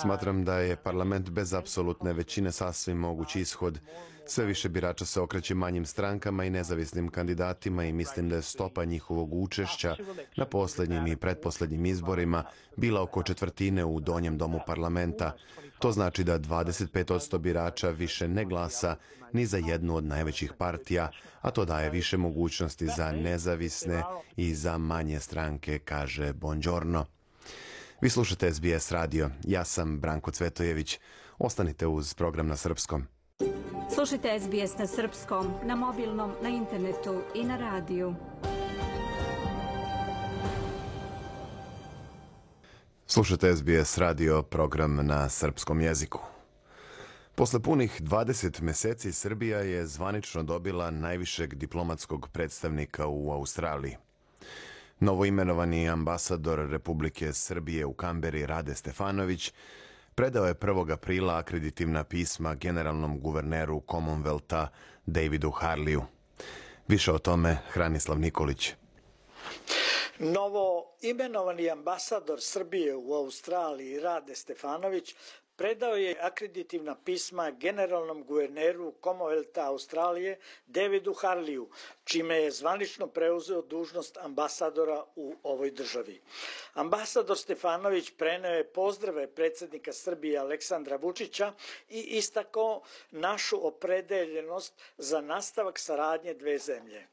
Smatram da je parlament bez apsolutne većine sasvim mogući ishod. Sve više birača se okreće manjim strankama i nezavisnim kandidatima i mislim da je stopa njihovog učešća na poslednjim i pretposlednjim izborima bila oko četvrtine u donjem domu parlamenta. To znači da 25% birača više ne glasa ni za jednu od najvećih partija, a to daje više mogućnosti za nezavisne i za manje stranke, kaže Bongiorno. Vi slušate SBS radio. Ja sam Branko Cvetojević. Ostanite uz program na srpskom. Slušajte SBS na srpskom, na mobilnom, na internetu i na radiju. Slušajte SBS radio, program na srpskom jeziku. Posle punih 20 meseci Srbija je zvanično dobila najvišeg diplomatskog predstavnika u Australiji. Novoimenovani ambasador Republike Srbije u Kamberi Rade Stefanović predao je 1. aprila akreditivna pisma generalnom guverneru Commonwealtha Davidu Harleyu. Više o tome Hranislav Nikolić. Novo imenovani ambasador Srbije u Australiji Rade Stefanović predao je akreditivna pisma generalnom guverneru Commonwealtha Australije Davidu Harleyu, čime je zvanično preuzeo dužnost ambasadora u ovoj državi. Ambasador Stefanović preneo je pozdrave predsjednika Srbije Aleksandra Vučića i istakao našu opredeljenost za nastavak saradnje dve zemlje.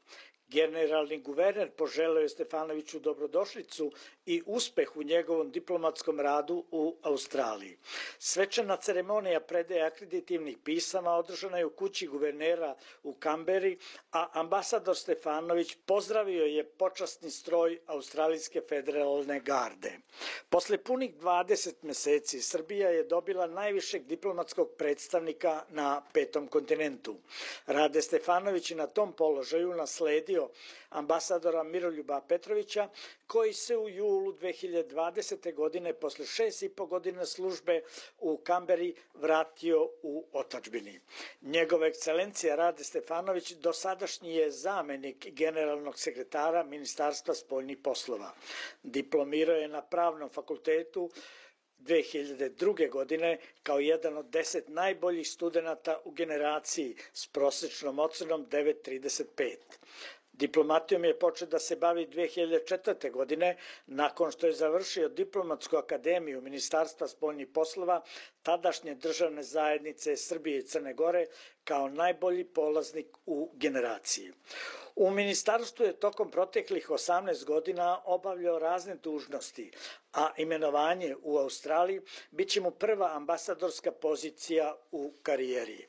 Generalni guverner poželeo je Stefanoviću dobrodošlicu i uspeh u njegovom diplomatskom radu u Australiji. Svečana ceremonija predaje akreditivnih pisama održana je u kući guvernera u Kamberi, a ambasador Stefanović pozdravio je počasni stroj Australijske federalne garde. Posle punih 20 meseci Srbija je dobila najvišeg diplomatskog predstavnika na petom kontinentu. Rade Stefanović je na tom položaju nasledio ambasadora Miroljuba Petrovića, koji se u julu 2020. godine posle 6,5 godina službe u Kamberi vratio u otadžbini. Njegova ekscelencija Rade Stefanović dosadašnji je zamenik generalnog sekretara Ministarstva spoljnih poslova. Diplomirao je na Pravnom fakultetu 2002. godine kao jedan od 10 najboljih studenata u generaciji s prosečnom ocenom 9,35. Diplomatijom je počeo da se bavi 2004. godine, nakon što je završio Diplomatsku akademiju Ministarstva spoljnih poslova tadašnje državne zajednice Srbije i Crne Gore kao najbolji polaznik u generaciji. U ministarstvu je tokom proteklih 18 godina obavljao razne dužnosti, a imenovanje u Australiji bit će mu prva ambasadorska pozicija u karijeri.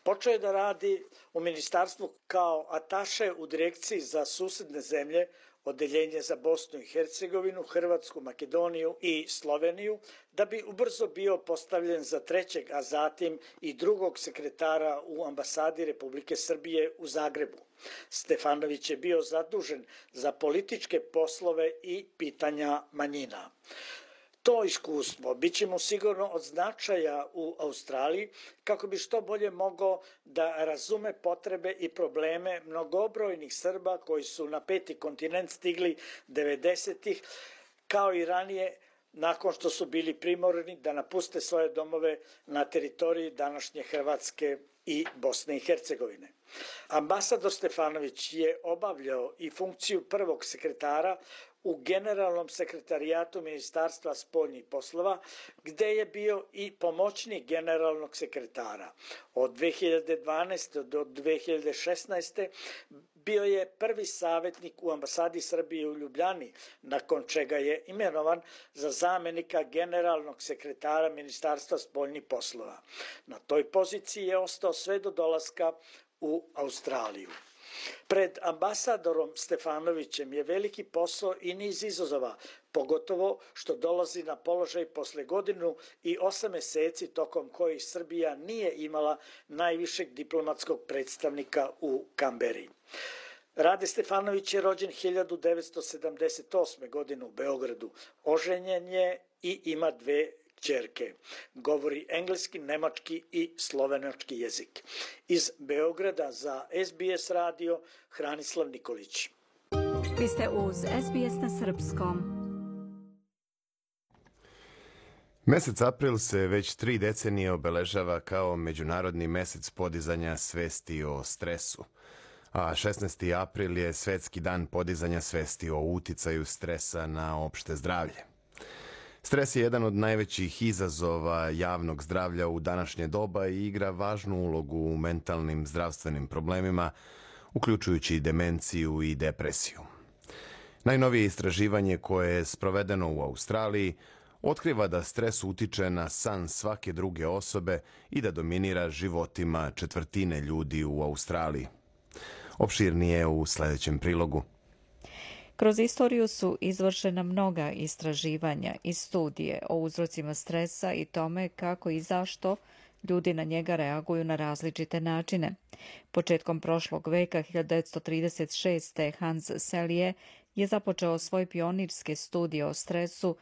Počeo je da radi u ministarstvu kao ataše u direkciji za susedne zemlje, odeljenje za Bosnu i Hercegovinu, Hrvatsku, Makedoniju i Sloveniju, da bi ubrzo bio postavljen za trećeg, a zatim i drugog sekretara u ambasadi Republike Srbije u Zagrebu. Stefanović je bio zadužen za političke poslove i pitanja manjina. To iskustvo bit će mu sigurno od značaja u Australiji kako bi što bolje mogao da razume potrebe i probleme mnogobrojnih Srba koji su na peti kontinent stigli 90-ih, kao i ranije nakon što su bili primorani da napuste svoje domove na teritoriji današnje Hrvatske i Bosne i Hercegovine. Ambasador Stefanović je obavljao i funkciju prvog sekretara u Generalnom sekretarijatu Ministarstva spoljnih poslova, gde je bio i pomoćnik generalnog sekretara. Od 2012. do 2016. bio je prvi savjetnik u ambasadi Srbije u Ljubljani, nakon čega je imenovan za zamenika generalnog sekretara Ministarstva spoljnih poslova. Na toj poziciji je ostao sve do dolaska u Australiju. Pred ambasadorom Stefanovićem je veliki posao i niz izazova, pogotovo što dolazi na položaj posle 1.8 meseci tokom kojih Srbija nije imala najvišeg diplomatskog predstavnika u Kamberi. Rade Stefanović je rođen 1978. godine u Beogradu. Oženjen je i ima 2 kćerke. Govori engleski, nemački i slovenački jezik. Iz Beograda za SBS radio Hranislav Nikolić. Vi ste uz SBS na srpskom. Mesec april se već 3 decenije obeležava kao Međunarodni mesec podizanja svesti o stresu. A 16. april je Svetski dan podizanja svesti o uticaju stresa na opšte zdravlje. Stres je jedan od najvećih izazova javnog zdravlja u današnje doba i igra važnu ulogu u mentalnim zdravstvenim problemima, uključujući demenciju i depresiju. Najnovije istraživanje koje je sprovedeno u Australiji otkriva da stres utiče na san svake druge osobe i da dominira životima 1/4 ljudi u Australiji. Opširnije u sljedećem prilogu. Kroz istoriju su izvršena mnoga istraživanja i studije o uzrocima stresa i tome kako i zašto ljudi na njega reaguju na različite načine. Početkom prošlog veka 1936. Hans Selye je započeo svoj pionirske studije o stresu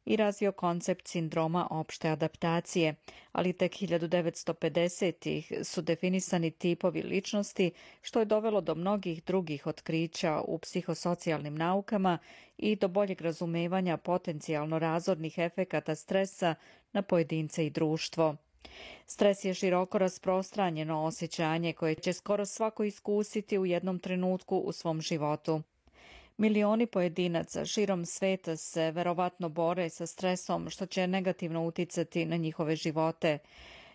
i razvio koncept sindroma opšte adaptacije, ali tek 1950-ih su definisani tipovi ličnosti, što je dovelo do mnogih drugih otkrića u psihosocijalnim naukama i do boljeg razumevanja potencijalno razornih efekata stresa na pojedince i društvo. Stres je široko rasprostranjeno osjećanje koje će skoro svako iskusiti u jednom trenutku u svom životu. Milioni pojedinaca širom sveta se verovatno bore sa stresom, što će negativno uticati na njihove živote.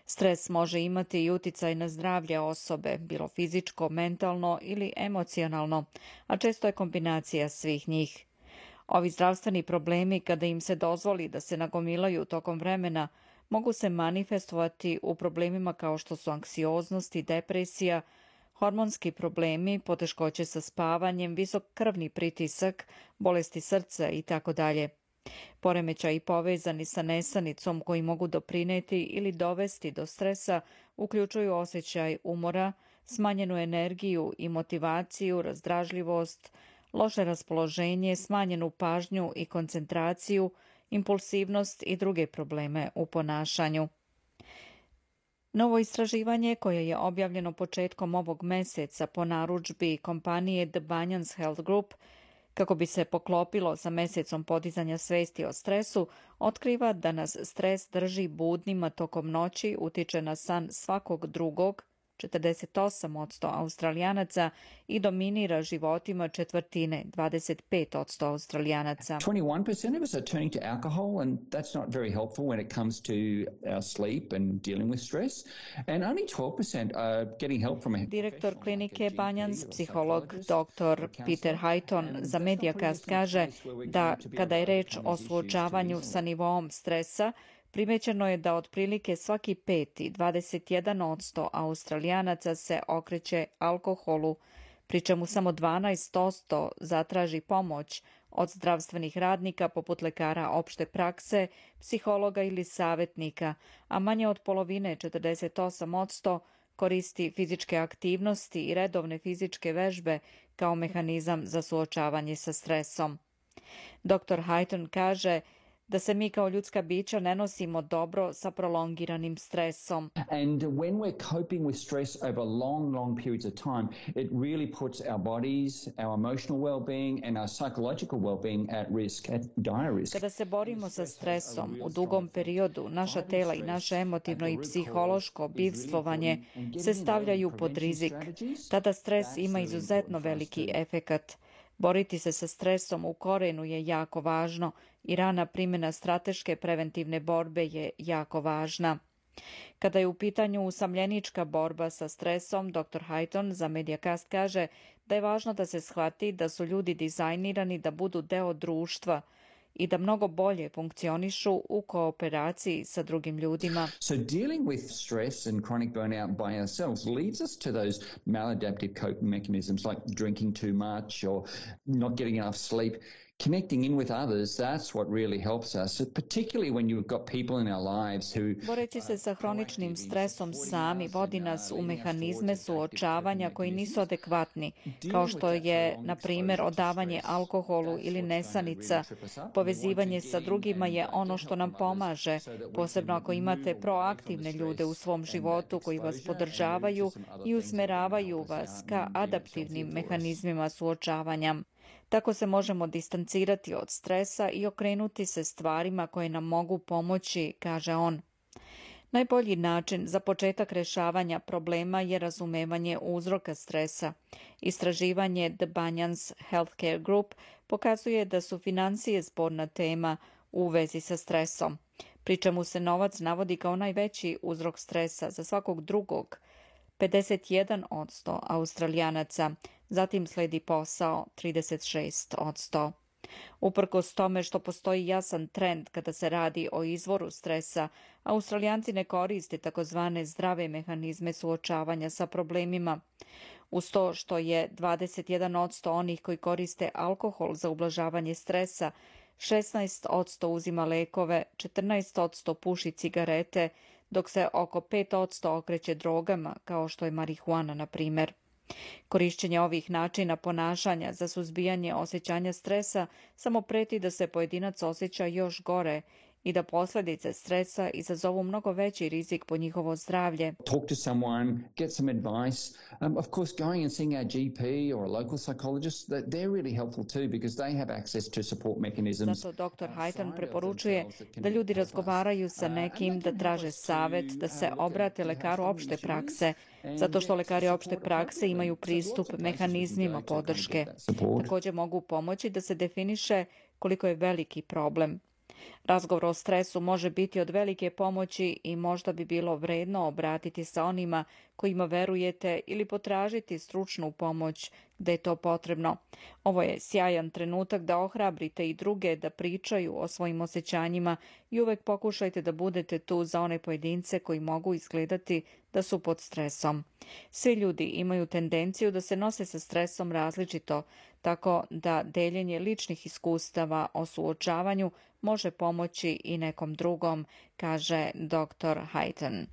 Stres može imati i uticaj na zdravlje osobe, bilo fizičko, mentalno ili emocionalno, a često je kombinacija svih njih. Ovi zdravstveni problemi, kada im se dozvoli da se nagomilaju tokom vremena, mogu se manifestovati u problemima kao što su anksioznost i depresija, hormonski problemi, poteškoće sa spavanjem, visok krvni pritisak, bolesti srca itd. Poremećaji povezani sa nesanicom koji mogu doprineti ili dovesti do stresa uključuju osjećaj umora, smanjenu energiju i motivaciju, razdražljivost, loše raspoloženje, smanjenu pažnju i koncentraciju, impulsivnost i druge probleme u ponašanju. Novo istraživanje koje je objavljeno početkom ovog meseca po narudžbi kompanije The Banyans Health Group, kako bi se poklopilo sa mesecom podizanja svesti o stresu, otkriva da nas stres drži budnima tokom noći, utiče na san svakog drugog, 48% Australijanaca, i dominira životima 1/4, 25% Australijanaca. 21% of us are turning to alcohol, and that's not very helpful when it comes to our sleep and dealing with stress. And only 12% are getting help from a Direktor klinike Banyans, psiholog dr. Peter Highton za Mediacast kaže da kada je reč o suočavanju sa nivoom stresa, primećeno je da otprilike svaki 5. 21% Australijanaca se okreće alkoholu, pri čemu samo 12% zatraži pomoć od zdravstvenih radnika poput lekara opšte prakse, psihologa ili savjetnika, a manje od polovine, 48%, koristi fizičke aktivnosti i redovne fizičke vežbe kao mehanizam za suočavanje sa stresom. Dr. Highton kaže da se mi kao ljudska bića ne nosimo dobro sa prolongiranim stresom. And when we're coping with stress over long periods of time, it really puts our bodies, our emotional well-being and our psychological well-being at risk, at dire risk. Kada se borimo sa stresom u dugom periodu, naša tela i naše emotivno i psihološko bivstvovanje se stavljaju pod rizik. Tada stres ima izuzetno veliki efekat. Boriti se sa stresom u korenu je jako važno i rana primjena strateške preventivne borbe je jako važna. Kada je u pitanju usamljenička borba sa stresom, dr. Hayton za Mediacast kaže da je važno da se shvati da su ljudi dizajnirani da budu deo društva i da mnogo bolje funkcionišu u kooperaciji sa drugim ljudima. So dealing with stress and chronic burnout by ourselves leads us to those maladaptive coping mechanisms like drinking too much or not getting enough sleep. Connecting in with others, that's what really helps us, particularly when you've got people in our lives who... Boreći se sa hroničnim stresom sami vodi nas u mehanizme suočavanja koji nisu adekvatni, kao što je, na primjer, odavanje alkoholu ili nesanica. Povezivanje sa drugima je ono što nam pomaže, posebno ako imate proaktivne ljude u svom životu koji vas podržavaju i usmeravaju vas ka adaptivnim mehanizmima suočavanja. Tako se možemo distancirati od stresa i okrenuti se stvarima koje nam mogu pomoći, kaže on. Najbolji način za početak rješavanja problema je razumevanje uzroka stresa. Istraživanje The Banyans Healthcare Group pokazuje da su financije sporna tema u vezi sa stresom, pri čemu se novac navodi kao najveći uzrok stresa za svakog drugog, 51% Australijanaca, zatim sledi posao 36%. Uprkos tome što postoji jasan trend kada se radi o izvoru stresa, Australijanci ne koriste takozvane zdrave mehanizme suočavanja sa problemima. Uz to što je 21% onih koji koriste alkohol za ublažavanje stresa, 16% uzima lekove, 14% puši cigarete, dok se oko 5% okreće drogama, kao što je marihuana, na primjer. Korišćenje ovih načina ponašanja za suzbijanje osjećanja stresa samo preti da se pojedinac osjeća još gore i da posljedice stresa izazovu mnogo veći rizik po njihovo zdravlje. Talk to someone, get some advice. Of course, going and seeing our GP or a local psychologist, they're really helpful too because they have access to support mechanisms. Zato dr. Hayton preporučuje da ljudi razgovaraju sa nekim, da traže savjet, da se obrate lekaru opšte prakse, zato što lekari opšte prakse imaju pristup mehanizmima podrške. Također mogu pomoći da se definiše koliko je veliki problem. Razgovor o stresu može biti od velike pomoći i možda bi bilo vredno obratiti se onima kojima verujete ili potražiti stručnu pomoć gdje je to potrebno. Ovo je sjajan trenutak da ohrabrite i druge da pričaju o svojim osjećanjima i uvek pokušajte da budete tu za one pojedince koji mogu izgledati da su pod stresom. Svi ljudi imaju tendenciju da se nose sa stresom različito, tako da deljenje ličnih iskustava o suočavanju može pomoći i nekom drugom, kaže dr. Hayton.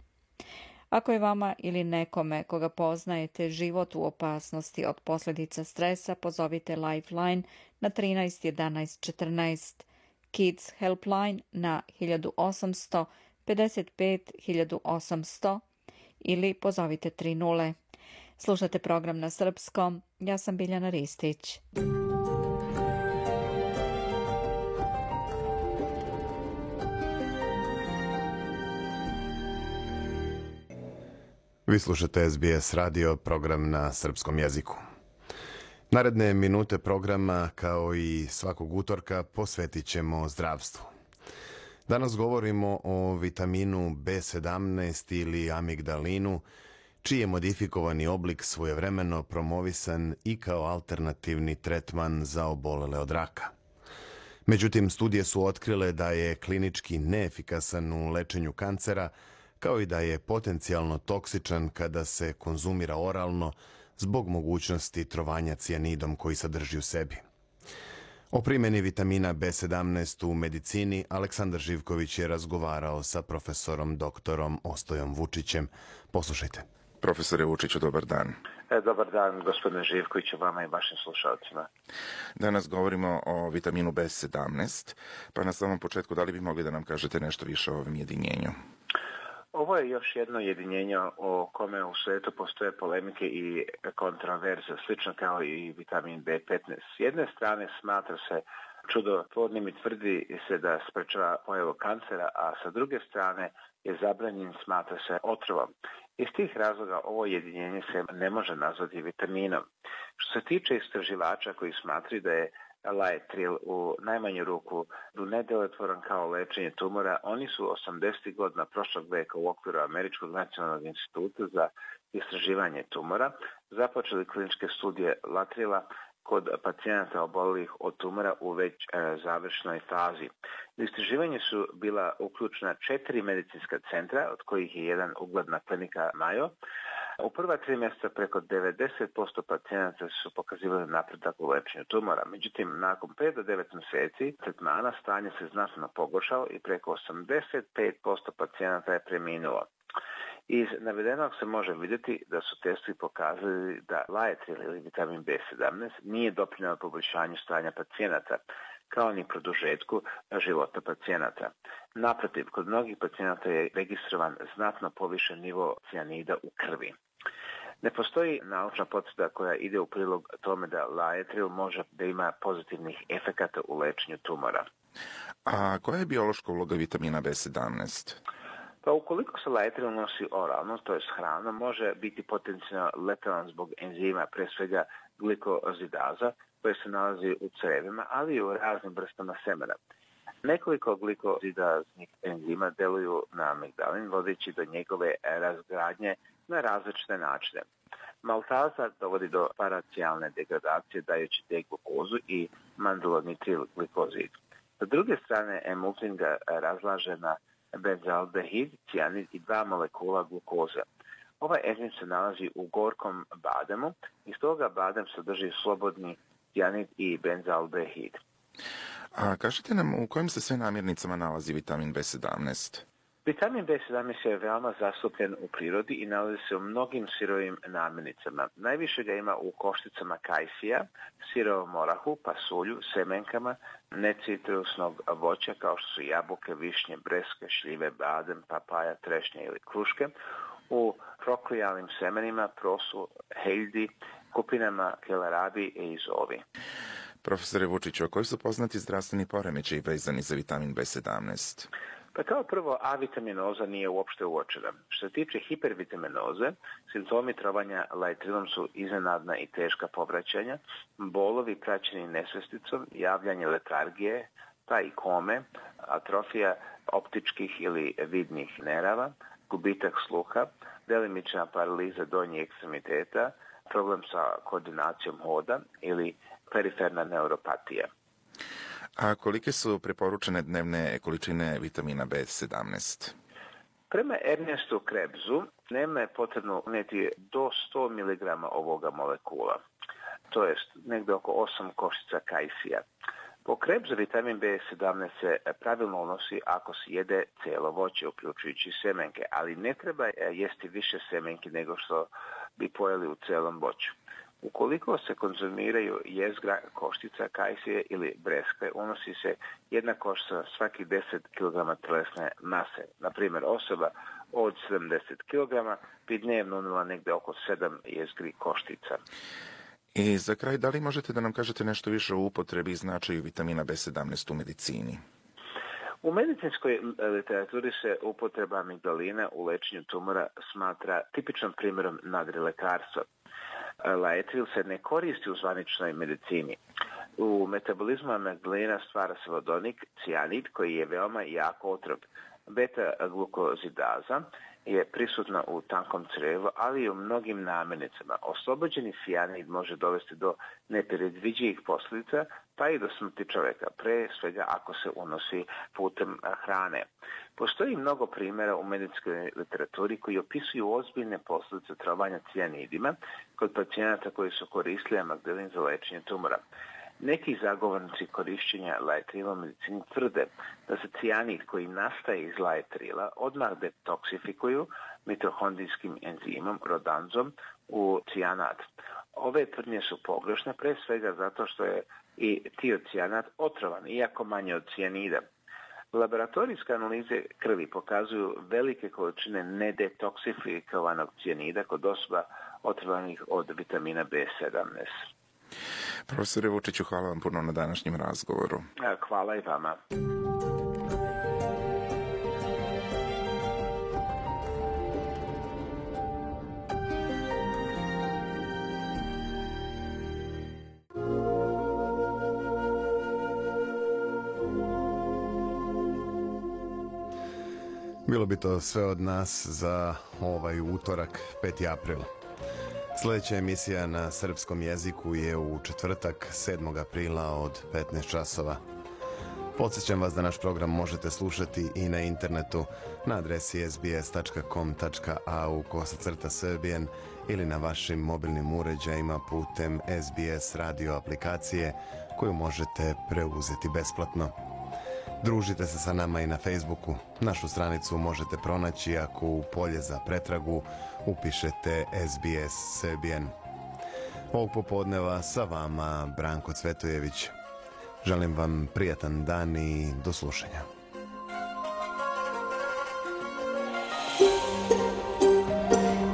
Ako je vama ili nekome koga poznajete život u opasnosti od posljedica stresa, pozovite Lifeline na 13 11 14, Kids Helpline na 1800 55 1800 ili pozovite 30. Slušate program na srpskom. Ja sam Biljana Ristić. Vi slušate SBS radio, program na srpskom jeziku. Naredne minute programa, kao i svakog utorka, posvetit ćemo zdravstvu. Danas govorimo o vitaminu B17 ili amigdalinu, čiji je modifikovani oblik svojevremeno promovisan i kao alternativni tretman za obolele od raka. Međutim, studije su otkrile da je klinički neefikasan u lečenju kancera, kao i da je potencijalno toksičan kada se konzumira oralno zbog mogućnosti trovanja cijanidom koji sadrži u sebi. O primjeni vitamina B17 u medicini Aleksandar Živković je razgovarao sa profesorom doktorom Ostojom Vučićem. Poslušajte. Profesore Vučiću, dobar dan. Dobar dan, gospodine Živkoviću, vama i vašim slušalcima. Danas govorimo o vitaminu B17, pa na samom početku da li bi mogli da nam kažete nešto više o ovom jedinjenju? Ovo je još jedno jedinjenje o kome u svijetu postoje polemike i kontraverze, slično kao i vitamin B15. S jedne strane smatra se čudotvornim i tvrdi se da sprečava pojavu kancera, a sa druge strane je zabranjen, smatra se otrovom. Iz tih razloga ovo jedinjenje se ne može nazvati vitaminom. Što se tiče istraživača koji smatraju da je laetril u najmanju ruku nedelotvoran kao lečenje tumora, oni su 80. godina prošlog veka u okviru Američkog nacionalnog instituta za istraživanje tumora započeli kliničke studije laetrila kod pacijenata obolelih od tumora u već završnoj fazi. U istraživanje su bila uključena 4 medicinska centra, od kojih je jedan ugledna klinika Mayo. U prva 3 mjeseca preko 90% pacijenata su pokazivali napredak u lečenju tumora. Međutim, nakon 5 do 9 mjeseci tretmana stanje se znatno pogoršalo i preko 85% pacijenata je preminulo. Iz navedenog se može vidjeti da su testovi pokazali da laetril ili vitamin B17 nije doprinio poboljšanju stanja pacijenata, kao ni produžetku života pacijenata. Naprotiv, kod mnogih pacijenata je registrovan znatno povišen nivo cijanida u krvi. Ne postoji naučna potvrda koja ide u prilog tome da laetril može da ima pozitivnih efekata u lečenju tumora. A koja je biološka uloga vitamina B17? Pa ukoliko se laetril nosi oralno, to je s hranom, može biti potencijalno letalan zbog enzima, pre svega glikozidaza, koje se nalazi u crevima, ali i u raznim vrstama semena. Nekoliko glikozidaznih enzima deluju na amigdalin, vodeći do njegove razgradnje na različite načine. Maltaza dovodi do paracijalne degradacije dajući D-glukozu i mandulonitril glikozid. Sa druge strane, emulsin ga razlaže na benzaldehid, cijanid i 2 molekula glukoze. Ovaj enzim se nalazi u gorkom bademu i stoga badem sadrži slobodni cijanid i benzaldehid. A kažete nam u kojim se sve namirnicama nalazi vitamin B17? Vitamin B17 je veoma zastupljen u prirodi i nalazi se u mnogim sirovim namirnicama. Najviše ga ima u košticama kajsija, sirovom orahu, pasulju, semenkama, necitrusnog voća kao što su jabuke, višnje, breske, šljive, badem, papaja, trešnje ili kruške, u proklijalnim semenima, prosu, heljdi, kupinama, kelarabi i zovi. Profesore Vučiću, koji su poznati zdravstveni poremećaji vezani za vitamin B17? Pa kao prvo, avitaminoza nije uopšte uočena. Što se tiče hipervitaminoze, simptomi trovanja laetrilom su iznenadna i teška povraćanja, bolovi praćeni nesvesticom, javljanje letargije, pa i kome, atrofija optičkih ili vidnih nerava, gubitak sluha, delimična paraliza donjih ekstremiteta, problem sa koordinacijom hoda ili periferna neuropatija. A kolike su preporučene dnevne količine vitamina B17? Prema Ernestu Krebsu, dnevno je potrebno unijeti do 100 mg ovoga molekula, to jest negdje oko 8 koštica kajsija. Po Krebsu vitamin B17 se pravilno unosi ako se jede cijelo voće, uključujući semenke, ali ne treba jesti više semenki nego što bi pojeli u cijelom voću. Ukoliko se konzumiraju jezgra, koštica, kajsije ili breskve, unosi se jedna koštica svaki 10 kg tjelesne mase. Naprimjer, osoba od 70 kg bi dnevno unijela negdje oko 7 jezgri koštica. I za kraj, da li možete da nam kažete nešto više o upotrebi i značaju vitamina B17 u medicini? U medicinskoj literaturi se upotreba amigdalina u lečenju tumora smatra tipičnom primjerom nadrilekarstva. Laetril se ne koristi u zvaničnoj medicini. U metabolizmu amigdalina stvara se vodonik, cijanid, koji je veoma jak otrov. Beta-glukozidaza je prisutna u tankom crevu, ali i u mnogim namirnicama. Oslobođeni cijanid može dovesti do nepredviđivih posljedica, pa i do smrti čovjeka, pre svega ako se unosi putem hrane. Postoji mnogo primjera u medicinskoj literaturi koji opisuju ozbiljne posljedice trovanja cijanidima kod pacijenata koji su koristili amigdalin za lečenje tumora. Neki zagovornici korišćenja laetrila u medicini tvrde da se cijanid koji nastaje iz laetrila odmah detoksifikuju mitohondrijskim enzimom rodanzom u cijanat. Ove tvrdnje su pogrešne, pre svega zato što je i tiocijanat otrovan, iako manje od cijanida. Laboratorijske analize krvi pokazuju velike količine nedetoksifikovanog cijanida kod osoba otrovanih od vitamina B17. Profesore Vučiću, hvala vam puno na današnjem razgovoru. Hvala i vama. Bilo bi to sve od nas za ovaj utorak, 5. april. Sljedeća emisija na srpskom jeziku je u četvrtak, 7. aprila od 15 časova. Podsjećam vas da naš program možete slušati i na internetu na adresi sbs.com.au/serbian ili na vašim mobilnim uređajima putem SBS radio aplikacije koju možete preuzeti besplatno. Družite se sa nama i na Facebooku. Našu stranicu možete pronaći ako u polje za pretragu upišete SBS Serbian. Ovog popodneva sa vama Branko Cvetojević. Želim vam prijatan dan i do slušanja.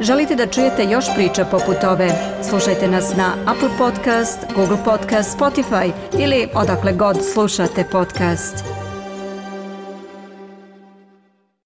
Želite da čujete još priča poput ove? Slušajte nas na Apple Podcast, Google Podcast, Spotify ili odakle god slušate podcast.